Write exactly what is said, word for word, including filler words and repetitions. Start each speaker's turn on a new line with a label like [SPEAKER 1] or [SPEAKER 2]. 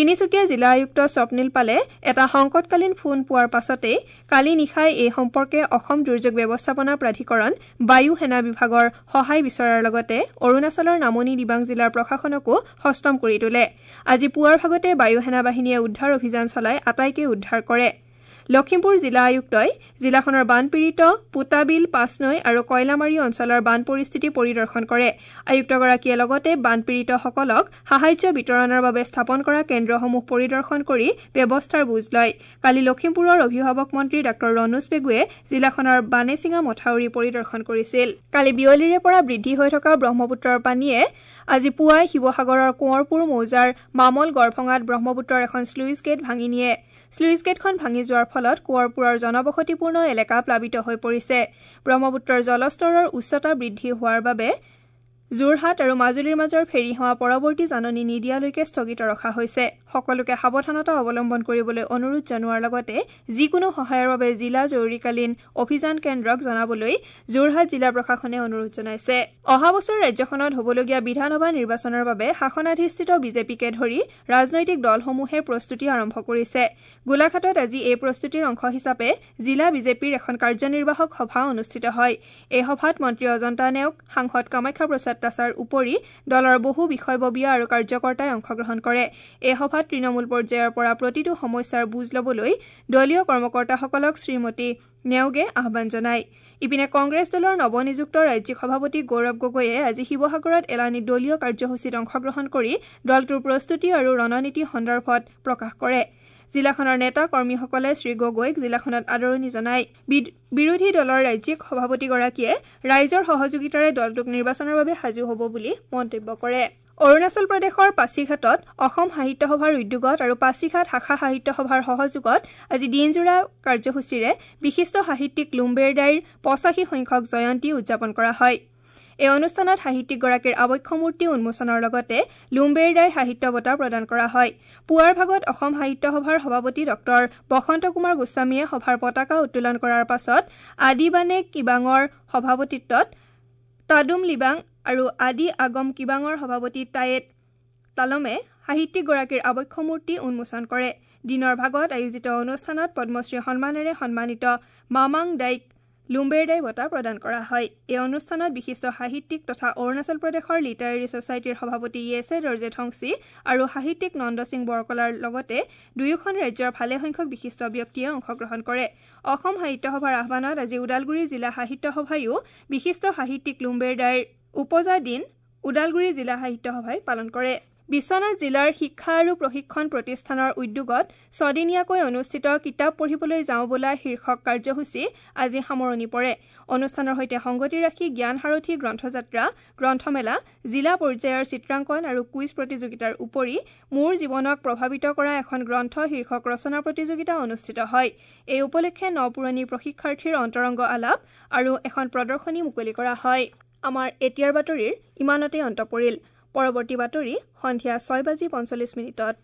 [SPEAKER 1] তিনিচুকীয়া জিলা আয়ুক্ত স্বপ্নীল পালে এটা সংকটকালীন ফোন পোৱাৰ পাছতেই কালি নিশাই এই সম্পৰ্কে অসম দুৰ্যোগ ব্যৱস্থাপনা প্ৰাধিকৰণ বায়ু সেনা বিভাগৰ সহায় বিচৰাৰ লগতে অৰুণাচলৰ নামনি দিবাং জিলাৰ প্ৰশাসনকো সষ্টম কৰি তোলে। আজি পুৱাৰ ভাগতে বায়ু সেনা বাহিনীয়ে উদ্ধাৰ অভিযান চলাই আটাইকে উদ্ধাৰ কৰে। লখিমপুৰ জিলা আয়ুক্তই জিলাখনৰ বানপীড়িত পোতাবিল, পাঁচনৈ আৰু কয়লামাৰী অঞ্চলৰ বান পৰিস্থিতি পৰিদৰ্শন কৰে। আয়ুক্তগৰাকীয়ে লগতে বানপীড়িতসকলক সাহায্য বিতৰণৰ বাবে স্থাপন কৰা কেন্দ্ৰসমূহ পৰিদৰ্শন কৰি ব্যৱস্থাৰ বুজ লয়। কালি লখিমপুৰৰ অভিভাৱক মন্ত্ৰী ডাঃ ৰণোজ পেগুৱে জিলাখনৰ বানেচিঙা মথাউৰি পৰিদৰ্শন কৰিছিল। কালি বিয়লিৰে পৰা বৃদ্ধি হৈ থকা ব্ৰহ্মপুত্ৰৰ পানীয়ে আজি পুৱাই শিৱসাগৰৰ কোঁৱৰপুৰ মৌজাৰ মামল গড়ভঙাত ব্ৰহ্মপুত্ৰৰ এখন শ্লুইচ গেট ভাঙি নিয়ে। শ্লুইচ গেটখন ভাঙি যোৱাৰ ফলত কোঁৱৰপুৰৰ জনবসতিপূৰ্ণ এলেকা প্লাবিত হৈ পৰিছে। ব্ৰহ্মপুত্ৰৰ জলস্তৰৰ উচ্চতা বৃদ্ধি হোৱাৰ বাবে যোৰহাট আৰু মাজুলীৰ মাজৰ ফেৰী সেৱা পৰৱৰ্তী জাননী নিদিয়ালৈকে স্থগিত ৰখা হৈছে। সকলোকে সাৱধানতা অৱলম্বন কৰিবলৈ অনুৰোধ জনোৱাৰ লগতে যিকোনো সহায়ৰ বাবে জিলা জৰুৰীকালীন অভিযান কেন্দ্ৰক জনাবলৈ যোৰহাট জিলা প্ৰশাসনে অনুৰোধ জনাইছে। অহা বছৰ ৰাজ্যখনত হ'বলগীয়া বিধানসভা নিৰ্বাচনৰ বাবে শাসনাধিষ্ঠিত বিজেপিকে ধৰি ৰাজনৈতিক দলসমূহে প্ৰস্তুতি আৰম্ভ কৰিছে। গোলাঘাটত আজি এই প্ৰস্তুতিৰ অংশ হিচাপে জিলা বিজেপিৰ এখন কাৰ্যনিৰ্বাহক সভা অনুষ্ঠিত হয়। এই সভাত মন্ত্ৰী অজন্তা নেওগ, সাংসদ কামাখ্যা প্ৰসাদ তাছাৰ উপৰি দলৰ বহু বিষয়ববীয়া আৰু কাৰ্যকৰ্তাই অংশগ্ৰহণ কৰে। এই সভাত তৃণমূল পৰ্যায়ৰ পৰা প্ৰতিটো সমস্যাৰ বুজ ল'বলৈ দলীয় কৰ্মকৰ্তাসকলক শ্ৰীমতী নেওগে আহ্বান জনায়। ইপিনে কংগ্ৰেছ দলৰ নৱনিযুক্ত ৰাজ্যিক সভাপতি গৌৰৱ গগৈয়ে আজি শিৱসাগৰত এলানি দলীয় কাৰ্যসূচীত অংশগ্ৰহণ কৰি দলটোৰ প্ৰস্তুতি আৰু ৰণনীতি সন্দৰ্ভত প্ৰকাশ কৰে। জিলাখনৰ নেতা কৰ্মীসকলে শ্ৰীগগৈক জিলাখনত আদৰণি জনায়। বিৰোধী দলৰ ৰাজ্যিক সভাপতিগৰাকীয়ে ৰাইজৰ সহযোগিতাৰে দলটোক নিৰ্বাচনৰ বাবে সাজু হ'ব বুলি মন্তব্য কৰে। অৰুণাচল প্ৰদেশৰ পাছিঘাটত অসম সাহিত্য সভাৰ উদ্যোগত আৰু পাছিঘাট শাখা সাহিত্য সভাৰ সহযোগত আজি দিনজোৰা কাৰ্যসূচীৰে বিশিষ্ট সাহিত্যিক লুম্বেৰ দাইৰ পঁচাশী সংখ্যক জয়ন্তী উদযাপন কৰা হয়। এই অনুষ্ঠানত সাহিত্যিকগৰাকীৰ আৱক্ষ মূৰ্তি উন্মোচনৰ লগতে লুম্বেৰ দাই সাহিত্য বঁটা প্ৰদান কৰা হয়। পুৱাৰ ভাগত অসম সাহিত্য সভাৰ সভাপতি ডক্টৰ বসন্ত কুমাৰ গোস্বামীয়ে সভাৰ পতাকা উত্তোলন কৰাৰ পাছত আদিবানে কিবাঙৰ সভাপতিত্বত তাদুম লিবাং আৰু আদি আগম কিবাঙৰ সভাপতি টায়েট তালমে সাহিত্যিকগৰাকীৰ আৱক্ষ মূৰ্তি উন্মোচন কৰে। দিনৰ ভাগত আয়োজিত অনুষ্ঠানত পদ্মশ্ৰী সন্মানেৰে সন্মানিত মামাং দাইক লুম্বেৰ দাই বঁটা প্ৰদান কৰা হয়। এই অনুষ্ঠানত বিশিষ্ট সাহিত্যিক তথা অৰুণাচল প্ৰদেশৰ লিটাৰেৰী ছ'চাইটিৰ সভাপতি য়েছে দৰ্জে ঠংচি আৰু সাহিত্যিক নন্দ সিং বৰকলাৰ লগতে দুয়োখন ৰাজ্যৰ ভালেসংখ্যক বিশিষ্ট ব্যক্তিয়ে অংশগ্ৰহণ কৰে। অসম সাহিত্য সভাৰ আহ্বানত আজি ওদালগুৰি জিলা সাহিত্য সভাইও বিশিষ্ট সাহিত্যিক লুম্বেৰ দাইৰ উপজা দিন ওদালগুৰি জিলা সাহিত্য সভাই পালন কৰে। বিশ্বনাথ জিলাৰ শিক্ষা আৰু প্ৰশিক্ষণ প্ৰতিষ্ঠানৰ উদ্যোগত ছদিনীয়াকৈ অনুষ্ঠিত কিতাপ পঢ়িবলৈ যাওঁ বোলা শীৰ্ষক কাৰ্যসূচী আজি সামৰণি পৰে। অনুষ্ঠানৰ সৈতে সংগতি ৰাখি জ্ঞান সাৰথী গ্ৰন্থযাত্ৰা, গ্ৰন্থমেলা, জিলা পৰ্যায়ৰ চিত্ৰাংকন আৰু কুইজ প্ৰতিযোগিতাৰ উপৰি মোৰ জীৱনক প্ৰভাৱিত কৰা এখন গ্ৰন্থ শীৰ্ষক ৰচনা প্ৰতিযোগিতা অনুষ্ঠিত হয়। এই উপলক্ষে ন পুৰণি প্ৰশিক্ষাৰ্থীৰ অন্তৰংগ আলাপ আৰু এখন প্ৰদৰ্শনী মুকলি কৰা হয়। আমাৰ এতিয়াৰ বাতৰিৰ ইমানতে অন্ত পৰিল। পৰৱৰ্তী বাতৰি সন্ধিয়া ছয় বাজি পঞ্চল্লিছ মিনিটত।